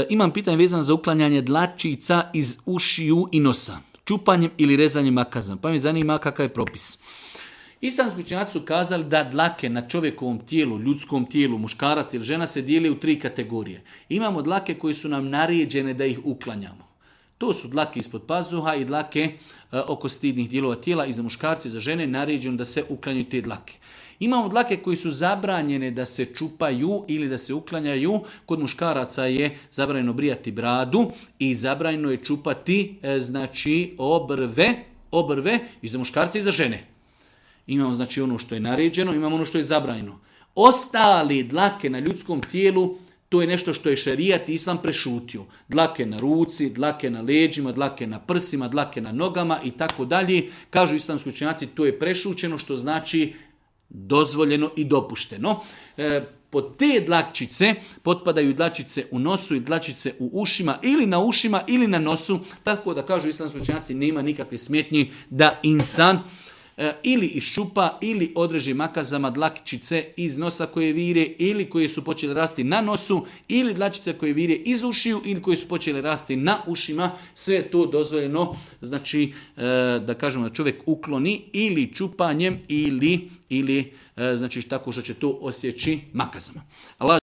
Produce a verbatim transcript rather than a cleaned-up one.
imam pitanje vezano za uklanjanje dlačica iz ušiju i nosa, čupanjem ili rezanjem makazom. Pa mi zanima kakav je propis. Islamski učenjaci su kazali da dlake na čovjekovom tijelu, ljudskom tijelu, muškarac ili žena se dijeli u tri kategorije. Imamo dlake koji su nam naređene da ih uklanjamo. To su dlake ispod pazuha i dlake e, oko stidnih dijelova tijela i za muškarce i za žene naređeno da se uklanjaju te dlake. Imamo dlake koji su zabranjene da se čupaju ili da se uklanjaju. Kod muškaraca je zabranjeno brijati bradu i zabranjeno je čupati e, znači obrve, obrve i za muškarce i za žene. Imamo znači ono što je naređeno, imamo ono što je zabranjeno. Ostali dlake na ljudskom tijelu, to je nešto što je šerijat i islam prešutio. Dlake na ruci, dlake na leđima, dlake na prsima, dlake na nogama i tako dalje. Kažu islamski učenjaci, to je prešućeno, što znači dozvoljeno i dopušteno. E, pod te dlačice potpadaju dlačice u nosu i dlačice u ušima ili na ušima ili na nosu. Tako da kažu islamski učenjaci, nema nikakve smetnji da insan e, ili iščupa ili odreži makazama dlačice iz nosa koje vire ili koje su počele rasti na nosu ili dlačice koje vire iz ušiju ili koje su počele rasti na ušima. Sve je to dozvoljeno, znači e, da kažemo da čovjek ukloni ili čupanjem ili ili znači tako što će to osjeći makazama. Allah